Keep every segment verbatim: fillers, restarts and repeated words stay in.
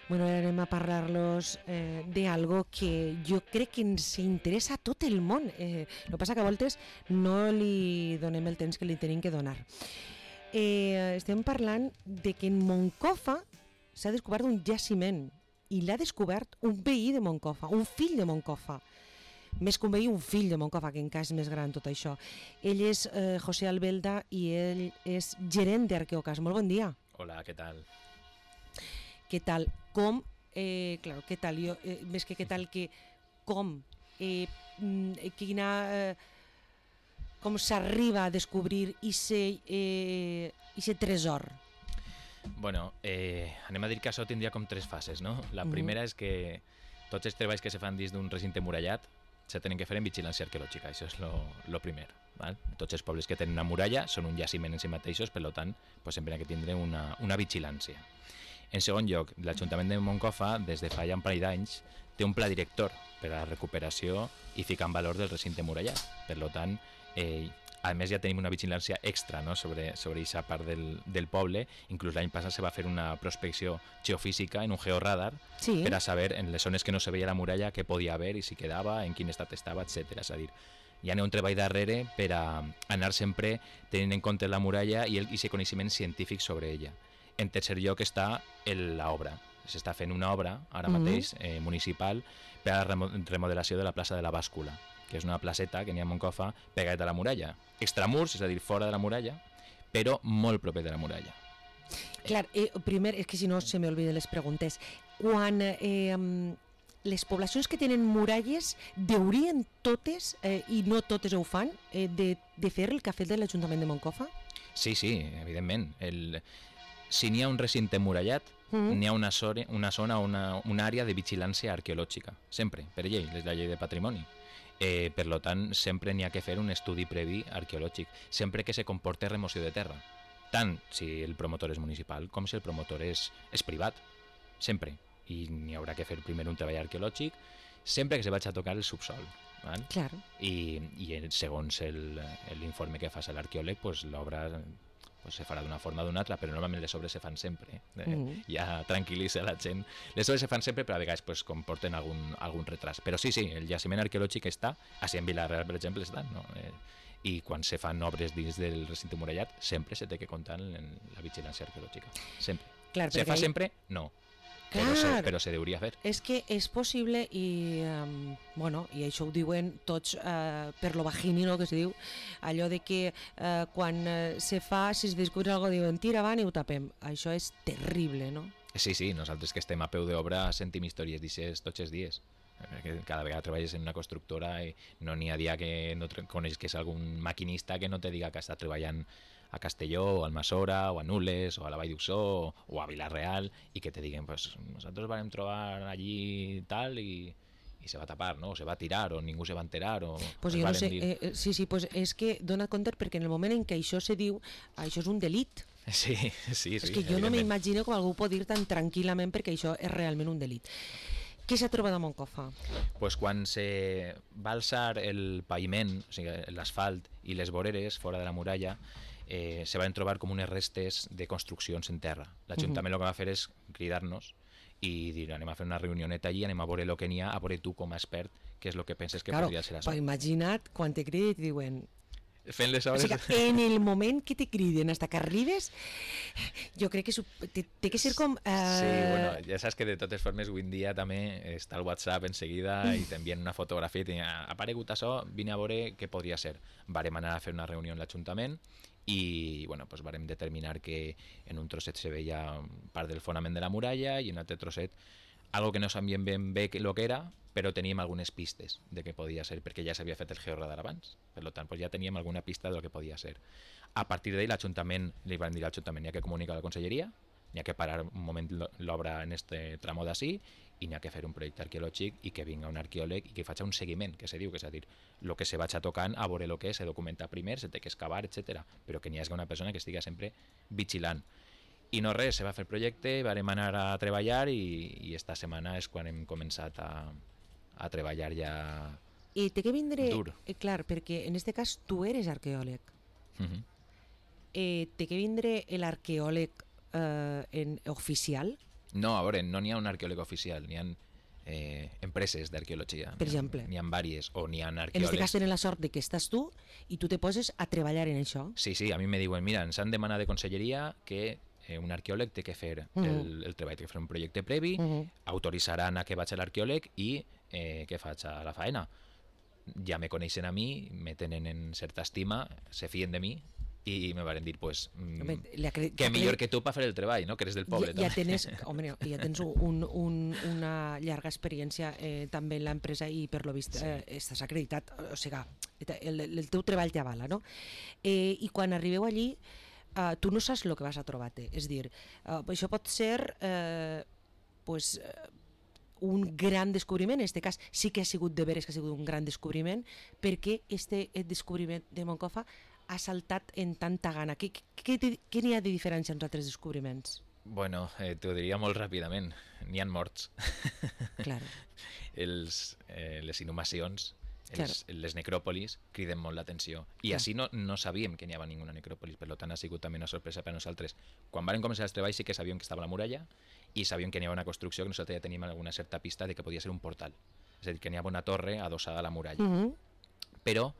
Bueno, ara anem a parlar-los eh, d'algo que jo crec que ens interessa a tot el món. Eh, el que passa que a voltes no li donem el temps que li tenim que donar. Eh, estem parlant de que en Moncofa s'ha descobert un jaciment i l'ha descobert un veí de Moncofa, un fill de Moncofa. Més que un veí, un fill de Moncofa, que encara és més gran tot això. Ell és eh, José Albelda i ell és gerent d'Arqueocas. Molt bon dia. Hola, què tal? Què tal? Com? Eh, claro, què tal? Jo, eh, més que què tal, que com? Eh, quina... Eh, com s'arriba a descobrir ese, eh, ese tresor? Bueno, eh, anem a dir que això tindria com tres fases, no? La Mhm. primera és que tots els treballs que se fan dins d'un recinte murallat se tenen que fer en vigilància arqueològica, això és lo, lo primer. Val? Tots els pobles que tenen una muralla són un jaciment en si mateixos, per tant, pues, sempre ha que tindre una, una vigilància. En segon lloc, l'Ajuntament de Moncofa, des de fa ja un parell d'anys, té un pla director per a la recuperació i ficar en valor del recinte murallat. Per tant, eh, a més ja tenim una vigilància extra, no?, sobre sobre aquesta part del, del poble. Inclús l'any passat se va fer una prospecció geofísica en un georradar, Sí. per a saber en les zones que no se veia la muralla què podia haver i si quedava, en quin estat estava, etcètera. És a dir, hi ha un treball darrere per a anar sempre tenint en compte la muralla i aquest coneixement científic sobre ella. En tercer lloc està l'obra. S'està fent una obra ara Mhm. mateix eh, municipal per a la remo- remodelació de la plaça de la Bàscula, que és una placeta que n'hi ha a Moncofa pegat a la muralla. Extramurs, és a dir, fora de la muralla, però molt proper de la muralla. Clar, eh, primer, és que si no se m'olviden les preguntes. Quan eh, les poblacions que tenen muralles deurien totes, eh, i no totes ho fan, eh, de, de fer el que ha fet de l'Ajuntament de Moncofa? Sí, sí, evidentment. El... Si n'hi ha un recinte murallat, Mhm. n'hi ha una, zona, una zona, una, una àrea de vigilància arqueològica, sempre, per llei, és la llei de patrimoni. Eh, per lo tant, sempre n'hi ha que fer un estudi previ arqueològic, sempre que se comporte remoció de terra, tant si el promotor és municipal com si el promotor és, és privat, sempre. I n'hi haurà que fer primer un treball arqueològic, sempre que se vagi a tocar el subsol. Val? Clar. I, i segons el- l'informe que faci l'arqueòleg, pues, l'obra pues, se farà d'una forma o d'una altra, però normalment les obres se fan sempre. Eh? Mhm. Ja tranquil·litza la gent. Les obres se fan sempre, però a vegades pues, comporten algun, algun retras. Però sí, sí, el jaciment arqueològic està, així en Vila-real, per exemple, està, no? Eh, i quan se fan obres dins del recinte murallat, sempre se té que comptar en la vigilància arqueològica. Sempre. Clar, Se perquè fa ahí- sempre? No. Però se, Clar. però se deuria fer. És que és possible i, um, bueno, i això ho diuen tots uh, per lo vagini, no?, que se diu, allò de que uh, quan uh, se fa, si es descobre alguna cosa, diuen tira avant i ho tapem. Això és terrible, no? Sí, sí, nosaltres que estem a peu d'obra sentim històries d'aixes tots els dies. Perquè cada vegada treballes en una constructora i no n'hi ha dia que no coneixes algun maquinista que no te diga que està treballant a Castelló, o al Masora, o a Nules, o a la Vall d'Uxó, o, o a Vila-real, i que te diguen, pues, nosaltres vam trobar allí tal i, i se va tapar, no? O se va tirar, o ningú se va enterar, o... Pues ens jo no varen sé, dir. eh, sí, sí, pues és que dona compte perquè en el moment en què això se diu, això és un delit. Sí, sí, sí. És que jo no evidentment. m'imagino com algú pot dir tan tranquil·lament perquè això és realment un delit. Què s'ha trobat a Moncofa? Pues quan se va alçar el paviment, o sigui, l'asfalt i les voreres fora de la muralla, eh, se van trobar com unes restes de construccions en terra. L'Ajuntament uh -huh. el que va fer és cridar-nos i dir, anem a fer una reunioneta allí, anem a veure el que n'hi ha, a veure tu com a expert què és el que penses que Claro, podria ser això. pues imagina't quan te criden i te diuen... Fent les O obres... sigui, en el moment que te criden hasta que arribes, jo crec que su- té, té que ser com... Eh... Sí, bueno, ja saps que de totes formes avui en dia també està el WhatsApp en seguida i t'envien una fotografia i t'ha aparegut això, vine a veure què podria ser. Varem anar a fer una reunió en l'Ajuntament i bueno, pues varem determinar que en un trosset se veia part del fonament de la muralla i en un altre trosset algo que no sabíem ben bé el que era, però teníem algunes pistes de què podia ser, perquè ja s'havia fet el georradar abans, per tant pues ja teníem alguna pista de lo que podia ser. A partir d'ahí l'Ajuntament, li van dir a l'Ajuntament, n'hi ha que comunicar a la Conselleria, n'hi ha que parar un moment l'obra en este tramo d'ací i n'hi ha que fer un projecte arqueològic i que vinga un arqueòleg i que faci un seguiment, que se diu, que és a dir, el que se vaig tocant, a veure el que és, se documenta primer, se té que excavar, etcètera. Però que n'hi hagi una persona que estigui sempre vigilant. I no res, se va fer el projecte, varem anar a treballar i, i esta setmana és quan hem començat a, a treballar ja I té que vindre... dur. Eh, clar, perquè en este cas tu eres arqueòleg. Uh -huh. Eh, té que vindre l'arqueòleg eh, en, oficial? No, a veure, no n'hi ha un arqueòleg oficial, n'hi ha eh, empreses d'arqueologia. Per exemple. N'hi ha diverses, o n'hi ha En arqueòlegs... este cas tenen la sort de que estàs tu i tu te poses a treballar en això. Sí, sí, a mi me diuen, mira, ens han demanat de conselleria que eh, un arqueòleg té que fer Mhm. el, el treball, té que fer un projecte previ, Mhm. autoritzaran a que vaig a l'arqueòleg i eh, què faig a la faena. Ja me coneixen a mi, me tenen en certa estima, se fien de mi i me van dir, pues, mm, Home, li acre- que acre- millor que tu per fer el treball, no? Que eres del poble. ja, ja també. tens, home, no, ja tens un, un, una llarga experiència eh, també en l'empresa i per lo vist Sí. eh, estàs acreditat, o sigui, el, el teu treball t'avala, no? Eh, I quan arribeu allí, eh, tu no saps el que vas a trobar-te, és dir, eh, això pot ser eh, pues, eh, un gran descobriment, en aquest cas sí que ha sigut de veres que ha sigut un gran descobriment, perquè este descobriment de Moncofa ha saltat en tanta gana. Què, què, què, què n'hi ha de diferència entre altres descobriments? Bueno, eh, t'ho diria molt ràpidament. N'hi ha morts. Claro. Els, eh, les inhumacions, Claro. els, les necròpolis criden molt l'atenció. I Clar. així no, no sabíem que n'hi havia ninguna necròpolis, per tant ha sigut també una sorpresa per a nosaltres. Quan vam començar els treballs sí que sabíem que estava la muralla i sabíem que n'hi havia una construcció que nosaltres ja teníem alguna certa pista de que podia ser un portal. És a dir, que n'hi havia una torre adossada a la muralla. Uh -huh. Però,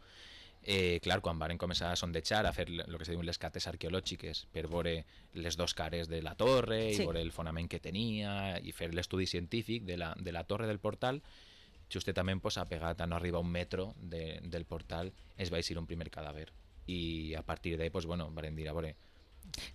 eh, clar, quan van començar a sondejar, a fer el que se diuen les cates arqueològiques per veure les dos cares de la torre Sí. i veure el fonament que tenia i fer l'estudi científic de la, de la torre del portal, justament pues, ha pegat a no arribar a un metro de, del portal, es va eixir un primer cadàver. I a partir d'ahí, pues, bueno, vam dir, a veure,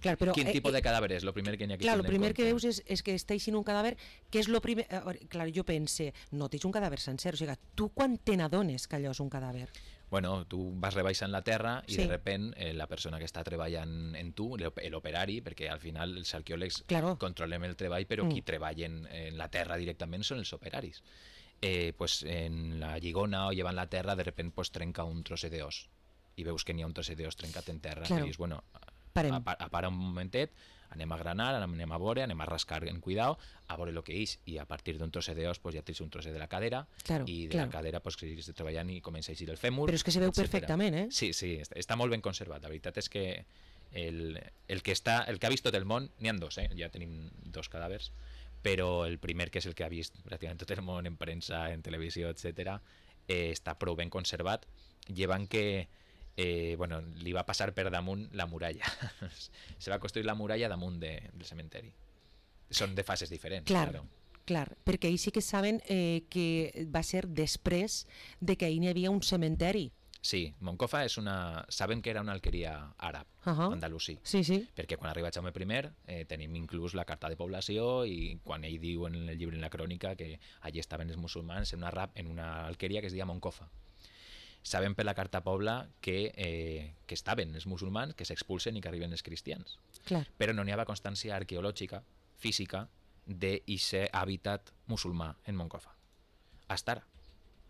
Clar, però, quin eh, tipus eh, de cadàver és? Lo primer que n'hi ha que clar, el tindre en primer que compte. veus és, és que està eixint un cadàver, que és lo primer... a veure, clar, jo pense, no tens un cadàver sencer, o sigui, tu quan te n'adones que allò és un cadàver? Bueno, tu vas rebaixant la terra i Sí. de repent eh, la persona que està treballant en tu, l'op- l'operari, perquè al final els arqueòlegs Claro. controlem el treball, però Mm. qui treballen en la terra directament són els operaris. Eh, pues en la lligona o llevant la terra, de repent pues, trenca un trosset d'os i veus que n'hi ha un trosset d'os trencat en terra Claro. i dius, bueno, Parem. a, a para un momentet, anem a granar, anem a veure, anem a rascar en cuidao, a veure el que és, i a partir d'un trosset d'os pues, ja tens un trosset de la cadera, Claro, i de claro. la cadera pues, seguis treballant i comença a eixir el fèmur. Però és que se veu etcètera. perfectament, eh? Sí, sí, està, està molt ben conservat. La veritat és que el, el, que, està, el que ha vist tot el món, n'hi ha dos, eh? Ja tenim dos cadàvers, però el primer, que és el que ha vist pràcticament tot el món en premsa, en televisió, etcètera, eh, està prou ben conservat, llevant que eh, bueno, li va passar per damunt la muralla. Se va construir la muralla damunt de, del cementeri. Són de fases diferents, Clar, claro. clar, perquè ahir sí que saben eh, que va ser després de que ahir n'hi havia un cementeri. Sí, Moncofa és una... Sabem que era una alqueria àrab, Ahà. andalusí. Sí, sí. Perquè quan arriba Jaume I eh, tenim inclús la carta de població i quan ell diu en el llibre, en la crònica, que allí estaven els musulmans en una, rap, en una alqueria que es deia Moncofa. Sabem per la carta pobla que, eh, que estaven els musulmans, que s'expulsen i que arriben els cristians. Clar. Però no n'hi havia constància arqueològica, física, d'aquest hàbitat musulmà en Moncofa. Hasta ara.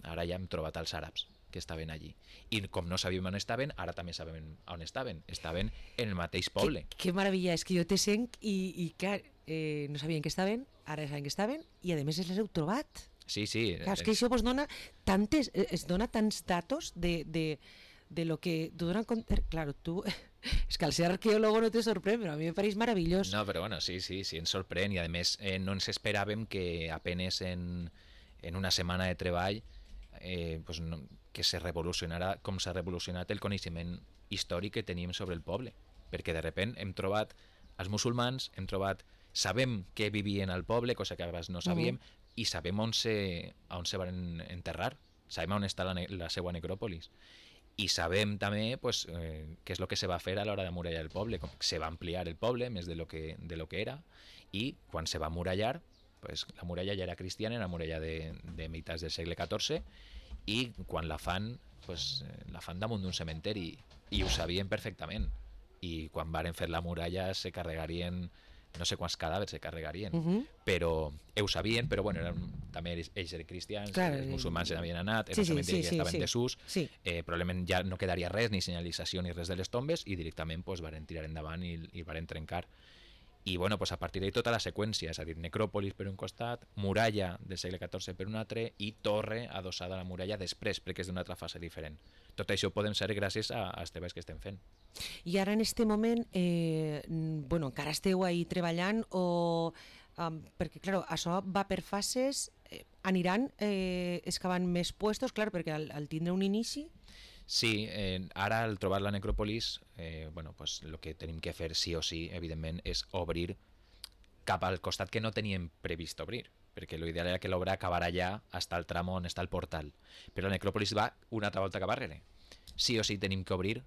Ara ja hem trobat els àrabs que estaven allí. I com no sabíem on estaven, ara també sabem on estaven. Estaven en el mateix poble. Que, que meravella, és que jo te sent i, i clar, eh, no sabien que estaven, ara saben que estaven, i a més les heu trobat. Sí, sí. Clar, és que això vos dona tantes, eh, es dona tants datos de, de, de lo que tu donen compte. Claro, tu... És que al ser arqueòlogo no te sorprèn, però a mi me pareix meravellós. No, però bueno, sí, sí, sí, ens sorprèn i a més eh, no ens esperàvem que apenes en, en una setmana de treball eh, pues no, que se revolucionarà com s'ha revolucionat el coneixement històric que tenim sobre el poble, perquè de repent hem trobat els musulmans, hem trobat, sabem que vivien al poble, cosa que abans no sabíem, uh-huh. i sabem on se, on se van enterrar, sabem on està la, la seva necròpolis. I sabem també pues, eh, què és el que se va fer a l'hora d'amurallar el poble. Com se va ampliar el poble més de lo que, de lo que era, i quan se va amurallar, pues, la muralla ja era cristiana, era muralla de, de meitats del segle catorze, i quan la fan, pues, la fan damunt d'un cementeri, i ho sabien perfectament. I quan varen fer la muralla se carregarien, no sé quants cadàvers se carregarien, Uh-huh. però ho sabien, però bueno, eren, també ells eren cristians, Clar, els musulmans se n'havien anat, sí, era sí, un cementeri sí, que sí, estaven sí. en desús, Sí. eh, probablement ja no quedaria res, ni senyalització ni res de les tombes, i directament pues, varen tirar endavant i, i varen trencar. I bueno, pues, a partir d'ahí tota la seqüència, és a dir, necròpolis per un costat, muralla del segle catorze per un altre i torre adossada a la muralla després, perquè és d'una altra fase diferent. Tot això ho podem ser gràcies a, als treballs que estem fent. I ara en este moment, eh, mm, bueno, encara esteu ahí treballant o um, perquè, clar, això va per fases, eh, aniran eh, excavant més puestos, clar, perquè al, al tindre un inici... Sí, eh, ara al trobar la necròpolis, eh, bueno, pues, el que tenim que fer sí o sí, evidentment, és obrir cap al costat que no teníem previst obrir, perquè l'ideal era que l'obra acabara allà, fins al tram on està el portal. Però la necròpolis va una altra volta cap arrere. Sí o sí tenim que obrir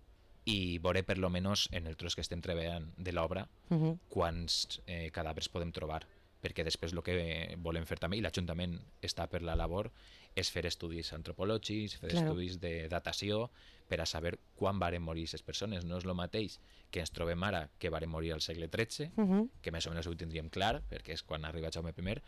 i veure per lo menos en el tros que estem treballant de l'obra uh -huh. quants eh, cadàvers podem trobar, perquè després el que volem fer també, i l'Ajuntament està per la labor, és fer estudis antropològics, fer claro. estudis de datació per a saber quan varen morir aquestes persones. No és el mateix que ens trobem ara que varen morir al segle tretze, uh -huh. que més o menys ho tindríem clar, perquè és quan arriba Jaume primer,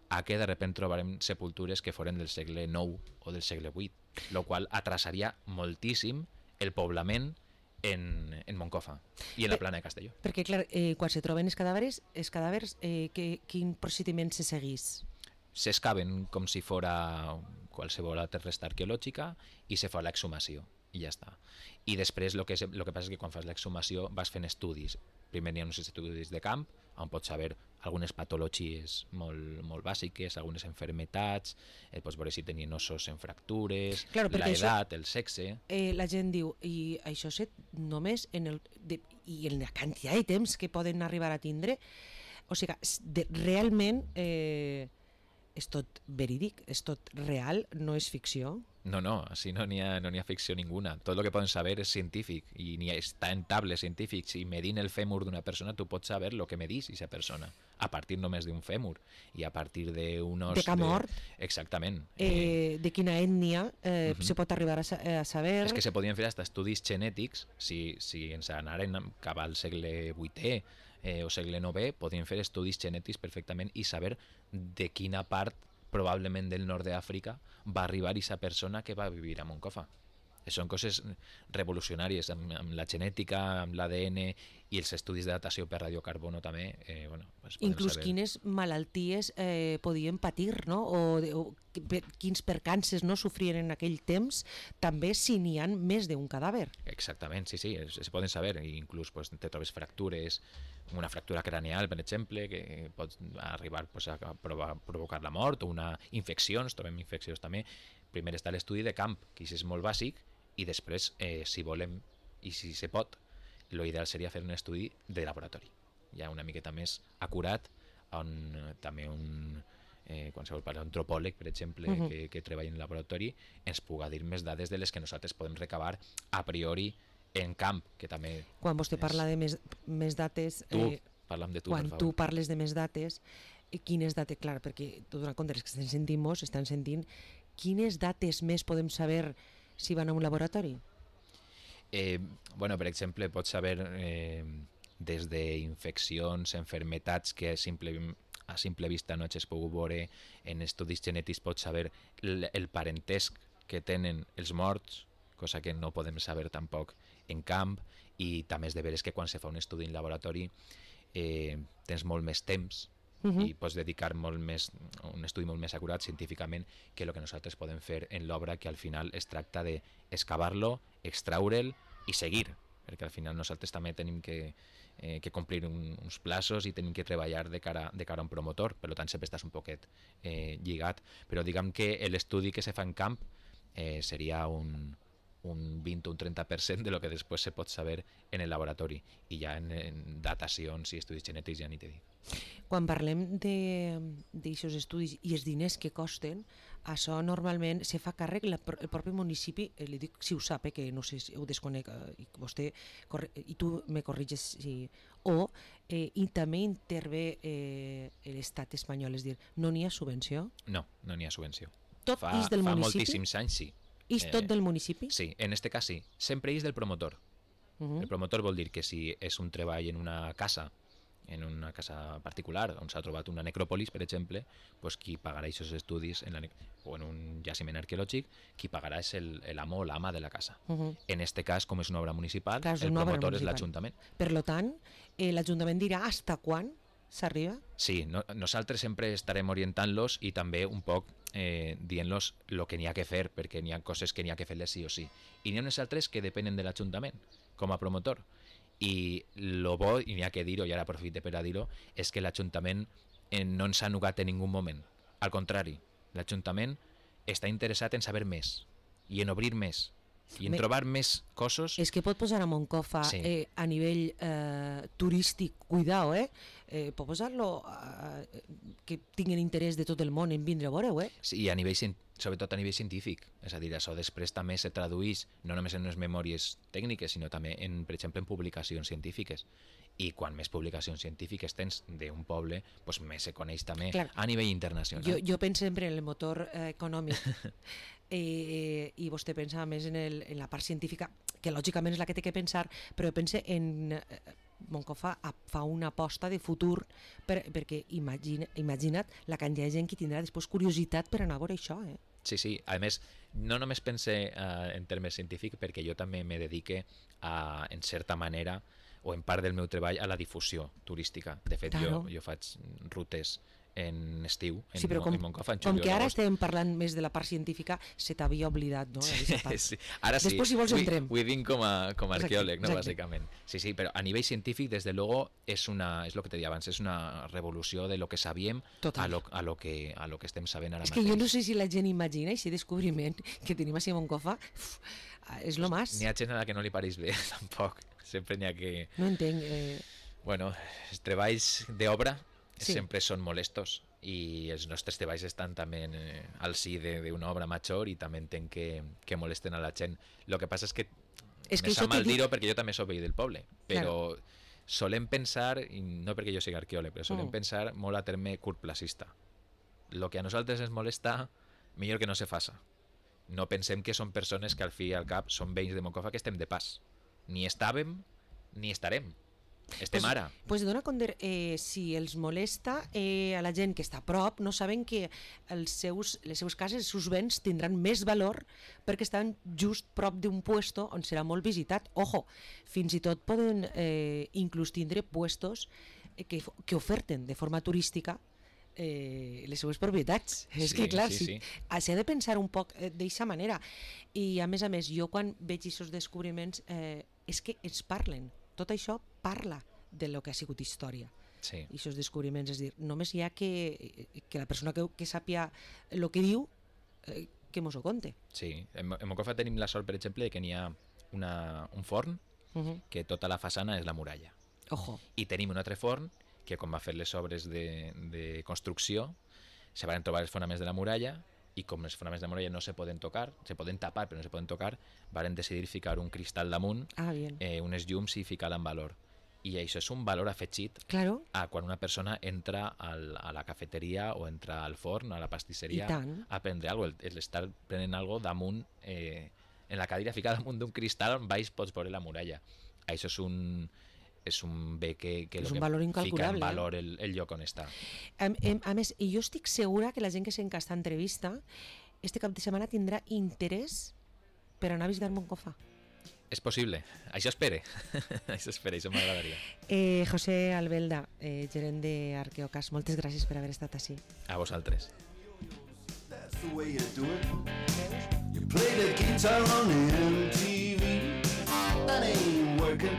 a que de repente trobarem sepultures que foren del segle nou o del segle vuit, el qual atrasaria moltíssim el poblament en, en Moncofa i en la plana de Castelló. Perquè, clar, eh, quan se troben els cadàvers, els cadàvers eh, que, quin procediment se seguís? S'excaven com si fora qualsevol altra resta arqueològica i se fa l'exhumació i ja està. I després el que, lo que passa és que quan fas l'exhumació vas fent estudis. Primer hi ha uns estudis de camp on pots saber algunes patologies molt, molt bàsiques, algunes enfermetats, eh, pots veure si tenien ossos en fractures, claro, l'edat, el sexe... Eh, la gent diu, i això és només en el... De, i en la quantitat de temps que poden arribar a tindre, o sigui, de, realment eh, és tot verídic, és tot real, no és ficció. No, no, així no n'hi ha, no n'hi ha ficció ninguna. Tot el que poden saber és científic i n'hi ha, està en tables científics i medint el fèmur d'una persona tu pots saber el que medís aquesta persona a partir només d'un fèmur i a partir d'unos... De camort. De... Exactament. Eh, de quina ètnia eh, uh -huh. se pot arribar a, sa a saber... És que se podien fer hasta estudis genètics si, si ens anaren cap al segle vuitè eh, o segle novè, podien fer estudis genètics perfectament i saber de quina part probablement del nord d'Àfrica va arribar aquesta persona que va vivir a Moncofa. Són coses revolucionàries amb, amb la genètica, amb l'A D N i els estudis de datació per radiocarbono també. Eh, bueno, pues inclús saber... quines malalties eh, podien patir, no? O, o per, quins percances no sofrien en aquell temps, també si n'hi ha més d'un cadàver. Exactament, sí, sí, es, es poden saber. I inclús pues, te trobes fractures, una fractura craneal, per exemple, que pot arribar pues, a provar, provocar la mort, o una infeccions, trobem infeccions també. Primer està l'estudi de camp, que és molt bàsic, i després, eh, si volem i si se pot, l'ideal seria fer un estudi de laboratori, ja una miqueta més acurat, on també un eh, qualsevol paleoantropòleg, per exemple, uh -huh. que, que treballa en laboratori, ens puga dir més dades de les que nosaltres podem recabar a priori en camp, que també... Quan vostè és... parla de més, més dates... Tu, eh, parlam de tu, quan per favor. tu parles de més dates, quines dates, clar, perquè tot donant compte, els que estan sentint mos, estan sentint, quines dates més podem saber si van a un laboratori? Eh, bueno, per exemple, pots saber eh, des d'infeccions, enfermetats que a simple, a simple vista no has pogut veure, en estudis genètics pots saber el, el parentesc que tenen els morts, cosa que no podem saber tampoc en camp, i també és de veres que quan se fa un estudi en laboratori eh, tens molt més temps Uh-huh. i pots dedicar molt més, un estudi molt més acurat científicament que el que nosaltres podem fer en l'obra, que al final es tracta d'excavar-lo, extraure'l i seguir, perquè al final nosaltres també tenim que, eh, que complir un, uns plaços i tenim que treballar de cara, de cara a un promotor, per tant sempre estàs un poquet eh, lligat, però diguem que l'estudi que se fa en camp eh, seria un, un vint o un trenta per cent de lo que després se pot saber en el laboratori, i ja en, en datacions i estudis genètics ja ni te dic. Quan parlem d'aixòs estudis i els diners que costen, això normalment se fa càrrec la, el propi municipi, eh, li dic si ho sap, eh, que no sé si ho desconec, eh, i vostè i tu me corriges, si, o eh, i també intervé eh, l'estat espanyol, és dir, no n'hi ha subvenció? No, no n'hi ha subvenció. Tot fa, és del fa municipi? Fa moltíssims anys, sí. És tot del municipi? Sí, en este cas sí. Sempre és del promotor. Uh-huh. El promotor vol dir que si és un treball en una casa, en una casa particular on s'ha trobat una necròpolis, per exemple, pues qui pagarà aquests estudis en la, o en un jaciment arqueològic, qui pagarà és l'amo o l'ama de la casa. Uh-huh. En este cas, com és una obra municipal, Clar, el promotor és l'Ajuntament. Per lo tant, eh, l'Ajuntament dirà hasta quan s'arriba? Sí, no, nosaltres sempre estarem orientant-los i també un poc eh, dient-los el que n'hi ha que fer, perquè n'hi ha coses que n'hi ha que fer-les sí o sí. I n'hi ha unes altres que depenen de l'Ajuntament, com a promotor. I lo bo, i n'hi ha que dir-ho, i ara aprofite per a dir-ho, és que l'Ajuntament eh, no ens ha nugat en ningú moment. Al contrari, l'Ajuntament està interessat en saber més i en obrir més i en Me... trobar més cossos. És que pot posar a Moncofa Sí. eh, a nivell eh, turístic, cuidao, eh? eh pot posar-lo eh, que tinguin interès de tot el món en vindre a veure-ho, eh? Sí, i a nivell, cien- sobretot a nivell científic. És a dir, això després també se tradueix no només en les memòries tècniques, sinó també, en, per exemple, en publicacions científiques. I quan més publicacions científiques tens d'un poble, doncs més se coneix també Clar. a nivell internacional. Jo, jo penso sempre en el motor eh, econòmic eh, i vostè pensa més en, el, en la part científica, que lògicament és la que té que pensar, però jo penso en... Eh, Moncofa fa una aposta de futur per, perquè imagina, imagina't la quantitat de gent que tindrà després curiositat per anar a veure això, eh? Sí, sí. A més, no només pense uh, en termes científics, perquè jo també me dedique, a, en certa manera, o en part del meu treball, a la difusió turística. De fet, Claro. jo, jo faig rutes en estiu, en, Sí, però com, en Moncofa, en com juliol, que ara agost. estem parlant més de la part científica, se t'havia oblidat, no? Sí, Part. sí. Ara sí, Després, si vols, Vull- entrem. vull dir com a, com a Exacte, arqueòleg, no, exacte. bàsicament. Sí, sí, però a nivell científic, desde luego, és una, és lo que te deia abans, és una revolució de lo que sabíem Total. a lo, a, lo que, a lo que estem sabent ara És que mateix. jo no sé si la gent imagina aquest descobriment que tenim així a Moncofa, uf, és lo más. N'hi ha gent a la que no li pareix bé, tampoc. Sempre n'hi ha que... No entenc. Eh, Bueno, els treballs d'obra Sí. sempre són molestos i els nostres treballs estan també en, eh, al si de- d'una obra major i també entenc que, que molesten a la gent. El que passa és que, és que me això sap mal t'he dit- dir-ho perquè jo també soc veí del poble, però solem pensar, i no perquè jo sigui arqueòleg, però solem Mm. pensar molt a terme curtplacista. El que a nosaltres ens molesta, millor que no se faça. No pensem que són persones que al fi i al cap són veïns de Moncofa que estem de pas. Ni estàvem ni estarem. Estem Pues- ara. Pues dona compte, eh, si els molesta eh, a la gent que està a prop, no saben que els seus, les seves cases, els seus béns tindran més valor perquè estan just prop d'un puesto on serà molt visitat. Ojo, fins i tot poden eh, inclús tindre puestos eh, que, que oferten de forma turística eh, les seues propietats. És Sí, que clar, sí, si, sí. s'ha de pensar un poc eh, d'eixa manera. I a més a més, jo quan veig aquests descobriments eh, és que ens parlen. Tot això parla de lo que ha sigut història. Sí. I aquests descobriments, és dir, només hi ha que, que la persona que, que sàpia el que diu eh, que mos ho conte. Sí, en, en Moncofa tenim la sort, per exemple, que n'hi ha una, un forn Uh -huh. que tota la façana és la muralla. Ojo. I tenim un altre forn que quan va fer les obres de, de construcció se van trobar els fonaments de la muralla i com els fonaments de la muralla no se poden tocar, se poden tapar però no se poden tocar, varen decidir ficar un cristal damunt, Ah, bien. eh, unes llums i ficar-la en valor. I això és un valor afegit Claro, a quan una persona entra al, a la cafeteria o entra al forn, a la pastisseria, I tant. a prendre alguna cosa. L'estar prenent alguna cosa damunt, eh, en la cadira ficada damunt d'un cristal on baix pots veure la muralla. Això és un, és un bé que, que, És lo un que valor fica incalculable, en eh? valor el, el lloc on està. a, a, a més, i jo estic segura que la gent que sent aquesta entrevista este cap de setmana tindrà interès per anar a visitar Moncofa. És possible, això espere. això espere, això m'agradaria. Eh, José Albelda, eh, gerent d'Arqueocas, moltes gràcies per haver estat així. A vosaltres. That's the way you do it. You play the guitar on M T V. That ain't working.